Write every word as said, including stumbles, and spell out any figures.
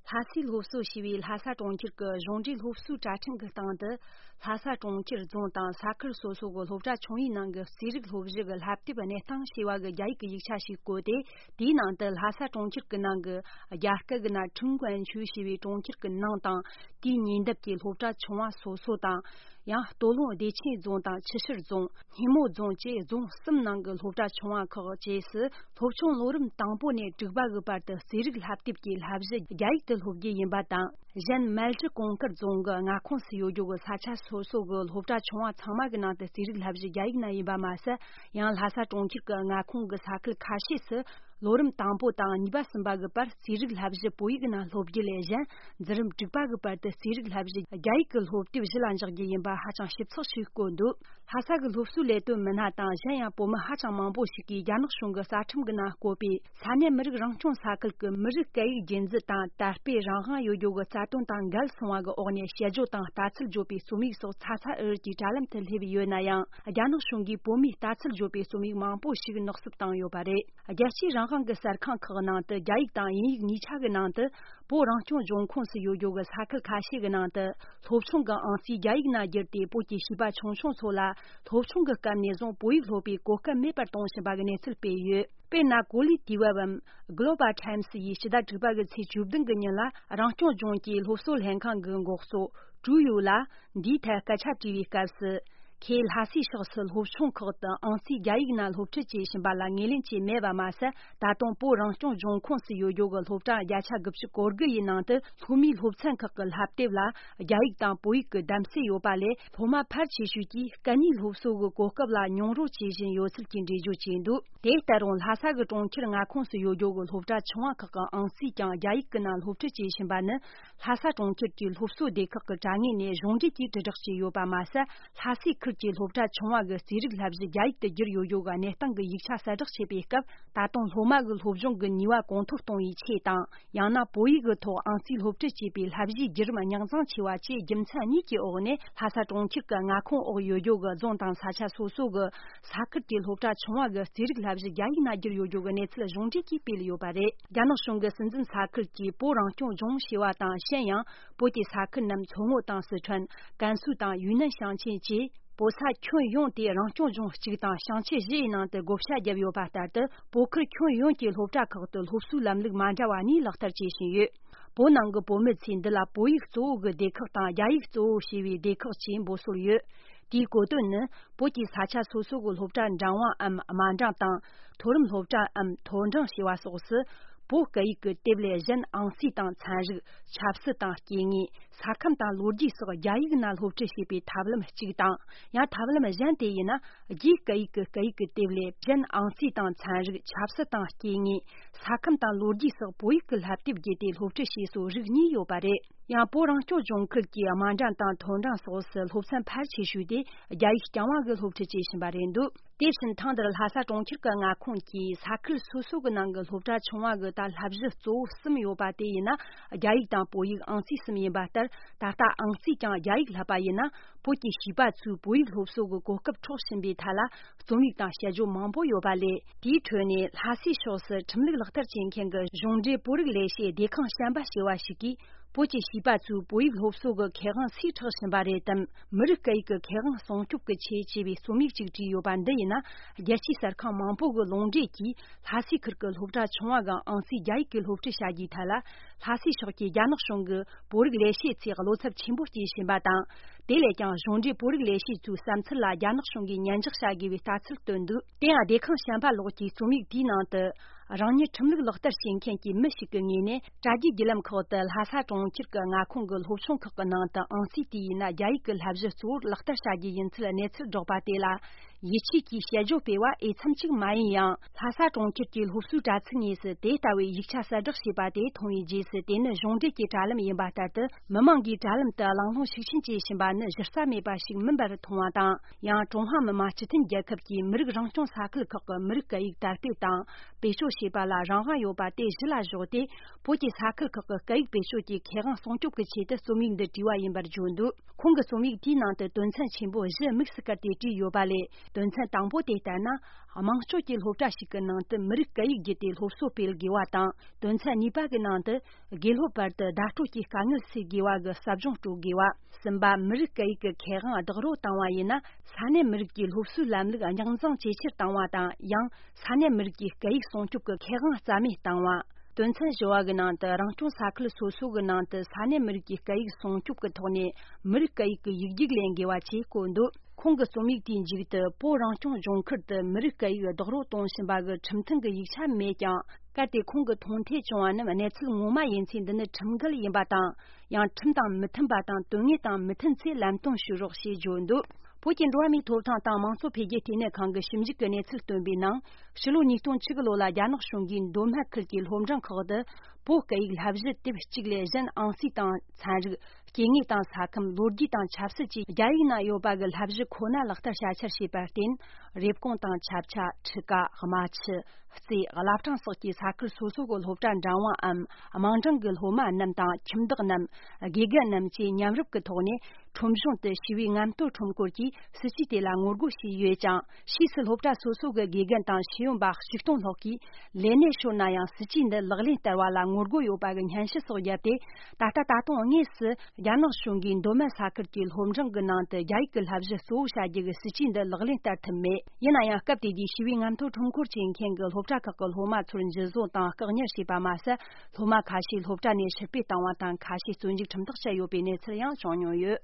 ལྷ་སའི་སློབ་གསོ་ཞེས་པའི་ལྷ་ས་གྲོང་ཁྱེར་གྱི་གཞུང་འབྲེལ་སློབ་གསོའི་དྲ་ཁྲིམས་ཀྱི་སྟེང་དུ། ལྷ་ས་གྲོང་ཁྱེར་རྫོང་དང་ས་ཁུལ་སོ་སོ་གི་སློབ་གྲྭ་ཆུང་བའི་ནང་གི་རྩིས་རིག་སློབ་གཞི་གི་བསླབ་དེབ་གནས་སྟངས་ཞེས་པ་གི་རྒྱ་ཡིག་གི་ཡིག་ཆ་ཞིག་བཀོད་དེ། དེའི་ནང་དུ་ལྷ་ས་གྲོང་ཁྱེར་གྱི་ནང་གི་རྒྱ་སྐད་ཀྱི་ནང་ཁྲིན་ཀོན་ཆུས་ཞེས་པའི་གྲོང་ཁྱེར་གྱི་ནང་དང་། དེའི་ཉེ་འདབས་ཀྱི་སློབ་གྲྭ་ཆུང་བ་སོ་སོ་དང་། ཡང་སྟོད་ལུང་བདེ་ཆེན་རྫོང་དང་ཆུ་ཤུར་རྫོང་། སྙེ་མོ་རྫོང་བཅས་རྫོང་གསུམ་ནང་གི་སློབ་གྲྭ་ཆུང་བ་ཁག་བཅས་སུ། སློབ་ཆུང་ལོ་རིམ་དང་པོ་ནས་དྲུག་པ་གི་བར་དུ་རྩིས་རིག་བསླབ་དེབ་ཀྱི་བསླབ་གཞི་རྒྱ་ཡིག་ཏུ་སློབ་རྒྱུ་ཡིན་པ་དང་། གཞན་མལ་གྲི་གོང་དཀར་རྫོང་གི་མངའ་ཁོངས་སུ་ཡོད་རྒྱུ་གི་ས་ཆ་སོ་སོ་གི་སློབ་གྲྭ་ཆུང་བ་ཚང་མ་གི་ནང་དུ་རྩིས་རིག་བསླབ་གཞི་རྒྱ་ཡིག་ནང་ཡིན་པ་མ་ཟད། ཡང་ལྷ་ས་གྲོང་ཁྱེར་གྱི་མངའ་ཁོངས་ཀྱི་ས་ཁུལ་ཁ་ཤས་སུ། ལོ་རིམ་དང་པོ་དང་གཉིས་པ་གསུམ་པ་གི་བར་རྩིས་རིག་བསླབ་གཞི་བོད་ཡིག་ནང་སློབ་རྒྱུ་ལས་གཞན། འཛིན་རིམ་དྲུག་པ་གི་བར་དུ་རྩིས་རིག་བསླབ་གཞི་རྒྱ་ཡིག་གི་སློབ་དེབ་གཞི་ལ་འཇོག་རྒྱུ་ཡིན་པ་ཧ་ཅང་ཞིབ་ཚགས་ཤིག་བཀོད་འདུག་ལྷ་ས་གི་སློབ་གསོའི་ལས་དོན་མི་སྣ་དང་གཞན་ཡང་བོད་མི་ཧ་ཅང་མང་པོ་ཞིག་གིས་རྒྱ་ནག་གཞུང་གི་རྩ་ཁྲིམས་ཀྱི་ནང་བཀོད་པའི་ས་གནས་མི་རིགས་རང་སྐྱོང་ས་ཁུལ་གྱི་མི་རིགས་སྐད་ཡིག་རྒྱུན་འཛིན་དང་དར་སྤེལ་རང་དབང་ཡོད་རྒྱུ་གི་རྩ་དོན་དང་འགལ་སོང་བ་གི་འོག་ནས་དཔྱད་བརྗོད་དང་ལྟ་ཚུལ་བརྗོད་པའི་རྩོམ་ཡིག་སོགས་ཚ་ཚ་འུར་འུར་གྱིས་དྲ་ལམ་དུ་སླེབས་ཡོད་ན་ཡང་། རྒྱ་ནག་གཞུང་གིས་བོད་མིའི་ལྟ་ཚུལ་བརྗོད་པའི་རྩོམ་ཡིག་མང་པོ་ཞིག་ནག་སུབ་བཏང་ཡོད་པ་རེད། རྒྱལ་སྤྱིའི་རང་དབང་གི་གསར་ཁང་ཁག་ནང་དུ་རྒྱ་ཡིག་དང་དབྱིན་ཡིག་གཉིས་ཆ་གི་ནང་དུ། བོད་རང་སྐྱོང་ལྗོངས་ཁོངས་སུ་ཡོད་རྒྱུ་གི་ས་ཁུལ་ཁ་ཤས་ཀྱི་ནང་དུ། སློབ་ཆུང་གི་ཨང་རྩིས་རྒྱ་ཡིག་ནང་བསྒྱུར་ཏེ། བོད་ཀྱི་བྱིས་པ་ཆུང་ཆུང་ཚོ་ལ་སློབ་ཆུང་གི་སྐབས་ནས་བཟུང་བོད་ཡིག་སློབ་པའི་གོ་སྐབས་མེད་པར་གཏོང་བཞིན་པ་གི་གནས་ཚུལ་སྤེལ་ཡོད། དཔེར་ན། གོ་ལའི་དུས་བབ་བམ་Global Times ཡིས་ཕྱི་ཟླ་དྲུག་པ་གི་ཚེས་བཅུ་བདུན་གི་ཉིན་ལ། རང་སྐྱོང་ལྗོངས་ཀྱི་སློབ་གསོ་ལྷན་ཁང་གི་འགོ་གཙོ་ཀྲུའུ་ཡུའུ་ལ་འདིའི་ཐད་སྐད་ཆ་དྲིས་པའི་སྐབས་སུ། ཁོས་ལྷ་སའི་ཕྱོགས་སུ་སློབ་ཆུང་ཁག་ཏུ་ཨང་རྩིས་རྒྱ་ཡིག་ནང་སློབ་ཁྲིད་བྱེད་བཞིན་པ་ལ་ངོས་ལེན་བྱས་མེད་པ་མ་ཟད། ད་དུང་བོད་རང་སྐྱོང་ལྗོངས་ཁོངས་སུ་ཡོད་རྒྱུ་གི་སློབ་གྲྭ་བརྒྱ་ཆ་དགུ་བཅུ་གོ་དགུ་ཡི་ནང་དུ་སློབ་མའི་སློབ་ཚན་ཁག་གི་བསླབ་དེབ་ལ་རྒྱ་ཡིག་དང་བོད་ཡིག་གི་གདམ་གསེས་ཡོད་པ་ལས། སློབ་མ་ཕལ་ཆེ་ཤོས་ཀྱིས་སྐད་གཉིས་སློབ་གསོ་གི་གོ་སྐབས་ལ་མྱོང་རོལ་བྱེད་བཞིན་ཡོད་ཚུལ་གྱི་འགྲེལ་བརྗོད་བྱས་འདུག་དེ་ལྟར་རུང་། ལྷ་ས་གི་གྲོང་ཁྱེར་མངའ་ཁོངས་སུ་ཡོད་རྒྱུ་གི་སློབ་གྲྭ་ཆུང་བ་ཁག་གི་ཨང་རྩིས་ཀྱང་རྒྱ་ཡིག་གི་ནང་སློབ་ཁྲིད་བྱེད་བཞིན་པ་ནི། ལྷ་ས་གྲོང་ཁྱེར་གྱི་སློབ་གསོ་སྡེ་ཁག་གི་དྲ་ངོས་ནས་གཞུང་འབྲེལ་གྱིས་དྲིལ་བསྒྲགས་བྱས་ཡོད་པ་མ་ཟད། ལྷ་སའི་ཁུལ་གྱི་སློབ་གྲྭ་ཆུང་བ་གི་རྩིས་རིག་བསླབ་གཞི་རྒྱ་ཡིག་ཏུ་བསྒྱུར་ཡོད་རྒྱུ་གི་གནས་སྟངས་ཀྱི་ཡིག་ཆ་གསལ་བསྒྲགས་བྱེད་པའི་སྐབས། ད་དུང་སློབ་མ་གི་སློབ་སྦྱོང་གི་ནུས་པ་གོང་མཐོར་གཏོང་བའི་ཆེད་དང་། ཡང་ན་བོད་ཡིག་གི་ཐོག་ཨང་རྩིས་སློབ་ཁྲིད་བྱེད་པའི་བསླབ་གཞིའི་བརྒྱུད་རིམ་རྙོག་འཛིང་ཆེ་བ་བཅས་རྒྱུ་མཚན་གཉིས་ཀྱི་འོག་ནས། ལྷ་ས་གྲོང་ཁྱེར་གྱི་མངའ་ཁོངས་འོག་ཡོད་རྒྱུ་གི་རྫོང་དང་ས་ཆ་སོ་སོ་གི་ས་ཁུལ་གྱི་སློབ་གྲྭ་ཆུང་བ་གི་རྩིས་རིག་བསླབ་གཞི་རྒྱ་ཡིག་ནང་བསྒྱུར་ཡོད་རྒྱུ་གི་གནས་ཚུལ་གཞུང་འབྲེལ་གྱིས་སྤེལ་ཡོད་པ་རེད། རྒྱ་ནག་གཞུང་གི་སྲིད་འཛིན་ས་ཁུལ་གྱིས་བོད་རང་སྐྱོང་ལྗོངས་ཞེས་པ་དང་། གཞན་ཡང་། བོད་ཀྱི་ས་ཁུལ་རྣམས་མཚོ་སྔོན་དང་སི་ཁྲོན། ཀན་སུའུ་དང་ཡུན་ནན་ཞིང་ཆེན་བཅས། བོད་ས་ཁྱོན་ཡོངས་དེ་རང་སྐྱོང་ལྗོངས་གཅིག་དང་ཞིང་ཆེན་བཞི་ཡི་ནང་དུ་བགོ་བཤའ་བརྒྱབ་ཡོད་པ་ལྟར་དུ། བོད་ཁུལ་ཁྱོན་ཡོངས་ཀྱི་སློབ་གྲྭ་ཁག་ཏུ་སློབ་གསོའི་ལམ་ལུགས་མ་འདྲ་བ་གཉིས་ལག་བསྟར་བྱེད་བཞིན་ཡོད། བོད་ནང་གི་བོད་མི་ཚོས་འདི་ལ་བོད་ཡིག་གཙོ་བོ་གི་སྡེ་ཁག་དང་། རྒྱ་ཡིག་གཙོ་བོ་ཞེས་པའི་སྡེ་ཁག་བཅས་འབོད་སྲོལ་ཡོད། དེའི་གོ་དོན་ནི། བོད་ཀྱི་ས་ཆ་སོ་སོ་གི་སློབ་གྲྭ་འབྲིང་བའམ་དམའ་འབྲིང་དང་། མཐོ་རིམ་སློབ་གྲྭའམ་མཐོ་འབྲིང་ཞེས་པ་སོགས་སུ། བོད་སྐད་ཡིག་གི་དེབ་ལས་གཞན་ཨང་རྩིས་དང་ཚན་རིག་ཆབ་སྲིད་དང་སྐྱེ་དངོས། ས་ཁམས་དང་ལོ་རྒྱུས་སོགས་རྒྱ་ཡིག་ནང་སློབ་ཁྲིད་བྱེད་པའི་ཐབས་ལམ་གཅིག་དང་། ཡང་ཐབས་ལམ་གཞན་དེ་ཡིན་ན། རྒྱའི་སྐད་ཡིག་གི་སྐད་ཡིག་གི་དེབ་ལས་གཞན་ཨང་རྩིས་དང་ཚན་རིག་ཆབ་སྲིད་དང་སྐྱེ་དངོས། ས་ཁམས་དང་ལོ་རྒྱུས་སོགས་བོད་ཡིག་གི་བསླབ་དེབ་བརྒྱུད་དེ་སློབ་ཁྲིད་བྱེད་སྲོལ་རིགས་གཉིས་ཡོད་པ་རེད། ཡང་བོད་རང་སྐྱོང་ལྗོངས་ཁུལ་གྱི་དམའ་འབྲིང་དང་མཐོ་འབྲིང་སོགས་སུ་སློབ་ཚན་ཕལ་ཆེ་ཤོས་དེ་རྒྱ་ཡིག་རྐྱང་བ་གི་སློབ་ཁྲིད་བྱེད་བཞིན་པ་རེད་འདུག་དེ་བཞིན་ཐེངས་འདིར་ལྷ་ས་གྲོང་ཁྱེར་གྱི་མངའ་ཁོངས་ཀྱི་ས་ཁུལ་སོ་སོ་གི་ནང་གི་སློབ་གྲྭ་ཆུང་བ་གི་ད་བསླབ་གཞི་གཙོ་བོ་གསུམ་ཡོད་པ་དེ་ཡིན་ན། རྒྱ་ཡིག་དང་བོད་ཡིག་ཨང་རྩིས་གསུམ་ཡིན་པ་ལྟར། ད་ལྟ་ཨང་རྩིས་ཀྱང་རྒྱ་ཡིག་བསླབ་པ་ཡིན་ན། བོད་ཀྱི་བྱིས་པ་ཚོས་བོད་ཡིག་སློབ་གསོ་གི་གོ་སྐབས་འཕྲོག་བཞིན་པའི་ཐད་ལ་རྩོམ་ཡིག་དང་དཔྱད་བརྗོད་མང་པོ་ཡོད་པ་ལས། དེའི་ཁྲོད་ནས་ལྷ་སའི་ཕྱོགས་སུ་ཁྲིམས་ལུགས་ལག་བསྟར་བྱེད་མཁན་གྱི་གཞུང་འབྲེལ་བོད་རིགས་ལས་བྱེད་སྡེ་ཁང་གཞན་པ་ཞེས་པ་ཞིག་གིས། བོད་ཀྱི་བྱིས་པ་ཚོས་བོད་ཡིག་སློབ་གསོ་གི་ཁེ་དབང་སུས་འཕྲོག་བཞིན་པ་རེད་དམ། མི་རིགས་སྐད་ཡིག་གི་ཁེ་དབང་སྲུང་སྐྱོབ་ཀྱི་ཆེད་ཅེས་པའི་རྩོམ་ཡིག་ཅིག་བྲིས་ཡོད་པ་འདི་ཡིན་ན། རྒྱལ་སྤྱིའི་གསར་ཁང་མང་པོ་གི་ལུང་འདྲེན་གྱིས། ལྷ་སའི་ཁུལ་གྱི་སློབ་གྲྭ་ཆུང་བ་གི་ཨང་རྩིས་རྒྱ་ཡིག་གི་སློབ་ཁྲིད་བྱ་རྒྱུའི་ཐད་ལ། ལྷ་སའི་ཕྱོགས་ཀྱི་རྒྱ་ནག་གཞུང་གི་བོད་རིགས་ལས་བྱེད་ཚོས་བློ་འཚབ་ཆེན་པོ་སྐྱེ་བཞིན་པ་དང་། དེ་ལས་ཀྱང་གཞུང་འབྲེལ་བོད་རིགས་ལས་བྱེད་ཚོའི་བསམ་ཚུལ་ལ་རྒྱ་ནག་གཞུང་གིས་ཉན་འཇོག་བྱ་དགོས་པའི་ལྟ་ཚུལ་བཏོན་འདུག་དེ་ཡང་སྡེ་ཁང་གཞན་པ་ལོགས་ཀྱི་རྩོམ་ཡིག་དེའི་ནང་དུ། རང་ཉིད་ཁྲིམས་ལུགས་ལག་བསྟར་བྱེད་མཁན་གྱི་མི་ཞིག་གི་ངོས་ནས། དྲ་རྒྱའི་བརྒྱུད་ལམ་ཁག་ཏུ་ལྷ་ས་གྲོང་ཁྱེར་གྱི་མངའ་ཁོངས་ཀྱི་སློབ་ཆུང་ཁག་གི་ནང་དུ་ཨང་རྩིས་དེ་ཡིན་ན་རྒྱ་ཡིག་གི་བསླབ་གཞི་གཙོ་བོར་ལག་བསྟར་བྱ་རྒྱུ་ཡིན་ཚུལ་གནས་ཚུལ་སྒྲོག་པ་དེ་ལ། ཡིད་ཆེས་ཀྱིས་དཔྱད་བརྗོད་སྤེལ་བ་འོས་འཚམ་ཅིག་མ་ཡིན་ཡང་། ལྷ་ས་གྲོང་ཁྱེར་གྱི་སློབ་གསོའི་དྲ་ཚིགས་དངོས་སུ་དེ་ལྟ་བུའི་ཡིག་ཆ་གསལ་བསྒྲགས་བྱས་པ་དེ་མཐོང་བའི་རྗེས་སུ། དེ་ནི་གཞུང་འབྲེལ་གྱི་དྲ་ལམ་ཡིན་པ་ལྟར་དུ། མི་མང་གིས་དྲ་ལམ་དུ་གླེང་སློང་ཤུགས་ཆེན་བྱེད་བཞིན་པ་ནི་གཞི་རྩ་མེད་པ་ཞིག་མིན་པར་མཐོང་བ་དང་། ཡང་ཀྲུང་ཧྭ་མི་དམངས་སྤྱི་མཐུན་རྒྱལ་ཁབ་ཀྱི་མི་རིགས་རང་སྐྱོང་ས་ཁུལ་ཁག་གི་མི་རིགས་སྐད་ཡིག་དར་སྤེལ་དང་བེད་སྤྱོད་བྱེད་པ་ལ་རང་དབང་ཡོད་པ་དེ་གཞི་ལ་བཞག་སྟེ། བོད་ཀྱི་ས་ཁུལ་ཁག་གི་སྐད་ཡིག་བེད་སྤྱོད་ཀྱི་ཁེ་དབང་སྲུང་སྐྱོབ་ཀྱི་ཆེད་དུ་རྩོམ་ཡིག་འདི་བྲིས་པ་ཡིན་པར་བརྗོད་འདུག་ཁོང་གི་རྩོམ་ཡིག་དེའི་ནང་དུ་དོན་ཚན་ཆེན་པོ་བཞི་དམིགས་སུ་བཀར་ཏེ་བྲིས་ཡོད་པ་ལས། དོན་ཚན་དང་པོ་དེ་ལྟར་ན། དམངས་ཁྲོད་ཀྱི་སློབ་གྲྭ་ཞིག་གི་ནང་དུ་མི་རིགས་སྐད་ཡིག་བརྒྱུད་དེ་སློབ་གསོ་སྤེལ་དགོས་པ་དང་། དོན་ཚན་གཉིས་པ་གི་ནང་དུ་དགེ་སློབ་བར་དུ་བརྡ་སྤྲོད་ཀྱི་དཀའ་ངལ་སེལ་དགོས་པ་གི་ཟབ་སྦྱོང་སྤྲོད་དགོས་པ། གསུམ་པ། མི་རིགས་སྐད་ཡིག་གི་ཁེ་དབང་རྡོག་རོལ་བཏང་བ་ཡིན་ན། ས་གནས་མི་རིགས་ཀྱི་སློབ་གསོའི་ལམ་ལུགས་རྙོག་འཛིང་ཇེ་ཆེར་བཏང་བ་དང་། ཡང་ས་གནས་མི་རིགས་ཀྱི་སྐད་ཡིག་སྲུང་སྐྱོབ་ཀྱི་ཁེ་དབང་རྩ་མེད་བཏང་བ། དོན་ཚན་བཞི་བ་གི་ནང་དུ། རང་སྐྱོང་ས་ཁུལ་སོ་སོ་གི་ནང་དུ་ས་གནས་མི་རིགས་ཀྱི་སྐད་ཡིག་སྲུང་སྐྱོབ་ཀྱི་ཐོག་ནས་མི་རིགས་སྐད་ཡིག་གི་ཡིག་རྒྱུགས་ལེན་དགོས་པ་བཅས་བཀོད་འདུག་ཁོང་གི་རྩོམ་ཡིག་དེའི་མཇུག་ཏུ། བོད་རང་སྐྱོང་ལྗོངས་ཁུལ་དུ་མི་རིགས་སྐད་ཡིག་རྡོག་རོལ་གཏོང་བཞིན་པ་གི་ཁྲིམས་མཐུན་གྱི་ཡིག་ཆ་མེད་ཀྱང་། གལ་ཏེ་ཁོང་གིས་མཐོང་ཐོས་བྱུང་བ་རྣམས་གནས་ཚུལ་ངོ་མ་ཡིན་ཚེ། འདི་ནི་ཁྲིམས་འགལ་ཡིན་པ་དང་། ཡང་ཁྲིམས་དང་མི་མཐུན་པ་དང་། དོན་དངོས་དང་མི་མཐུན་ཚེ་ལམ་སྟོན་ཞུ་རོགས་ཞེས་བརྗོད་འདུག་བོད་ཀྱི་འགྲོ་བ་མིའི་ཐོབ་ཐང་དང་དམངས་གཙོ་འཕེལ་རྒྱས་ལྟེ་གནས་ཁང་གི་ཞིབ་འཇུག་གི་གནས་ཚུལ་བཏོན་པའི་ནང་། ཕྱི་ལོ་ཉིས་སྟོང་བཅུ་དགུ་ལོ་ལ་རྒྱ་ནག་གཞུང་གིས་མདོ་སྨད་ཁུལ་གྱི་སློབ་འབྲིང་ཁག་ཏུ་བོད་སྐད་ཡིག་བསླབ་གཞི་དེབ་གཅིག་ལས་གཞན་ཨང་རྩིས་དང་ཚན་རིག་སྐྱེ་དངོས་དང་ས་ཁམས། ལོ་རྒྱུས་དང་ཆབ་སྲིད་བཅས་རྒྱ་ཡིག་ནང་ཡོད་པ་གི་བསླབ་གཞི་ཁོ་ན་ལག་བསྟར་བྱ་འཆར་བྱས་པར་བརྟེན། རེབ་གོང་དང་ཆབ་ཆ། ཁྲི་ཀ། རྨ་ཆུ། རྩེ། བླ་བྲང་སོགས་ཀྱི་ས་ཁུལ་སོ་སོ་གི་སློབ་གྲྭ་འབྲིང་བའམ་དམའ་འབྲིང་གི་སློབ་མ་རྣམས་དང་། ཁྱིམ་བདག་རྣམས། དགེ་རྒན་རྣམས་བཅས་མཉམ་རུབ་ཀྱི་ཐོག་ནས་ཁྲོམ་གཞུང་དུ་ཞི་བའི་རྔམ་སྟོན་ཁྲོམ་སྐོར་གྱིས་སྲིད་ཇུས་དེ་ལ་ངོ་རྒོལ་བྱས་ཡོད་ཅིང་། ཕྱིས་སུ་སློབ་གྲྭ་སོ་སོ་གི་དགེ་རྒན་དང་ཤེས་ཡོན་པ་ཆིག་སྟོང་ལྷག་གིས་ལས་གནས་ཤོར་ན་ཡང་སྲིད་ཇུས་འདི་ལག་ལེན་བསྟར་བ་ལ་ངོ་རྒོལ་ཡོད་པ་གི་སྙན་ཞུ་སོགས་བརྒྱབ་སྟེ། ད་ལྟ་ད་དུང་དངོས་སུ་རྒྱ་ནག་གཞུང་གིས་མདོ་སྨད་ས་ཁུལ་གྱི་སློབ་འབྲིང་གི་ནང་དུ་རྒྱ་ཡིག་གི་བསླབ་གཞི་གཙོ་བོ་བྱ་རྒྱུ་གི་སྲིད་ཇུས་འདི་ལག་ལེན་བསྟར་ཐུབ་མེད། ཡིན་ན་ཡང་སྐབས་དེ་དུས་ཞི་བའི་རྔམ་སྟོན་ཁྲོམ་སྐོར་བྱེད་མཁན་གྱི་སློབ་གྲྭ་ཁག་གི་སློབ་མ་ཚོར་འཇུ་བཟུང་དང་བཀག་ཉར་བྱས་པ་མ་ཟད། སློབ་མ་ཁ་ཤས་སློབ་གྲྭ་ནས་ཕྱིར་འབུད་བཏང་བ་དང་། ཁ་ཤས་བཙོན་འཇུག་ཁྲིམས་ཐག་བཅད་ཡོད་པའི་གནས་ཚུལ་ཡང་བྱུང་མྱོང་ཡོད།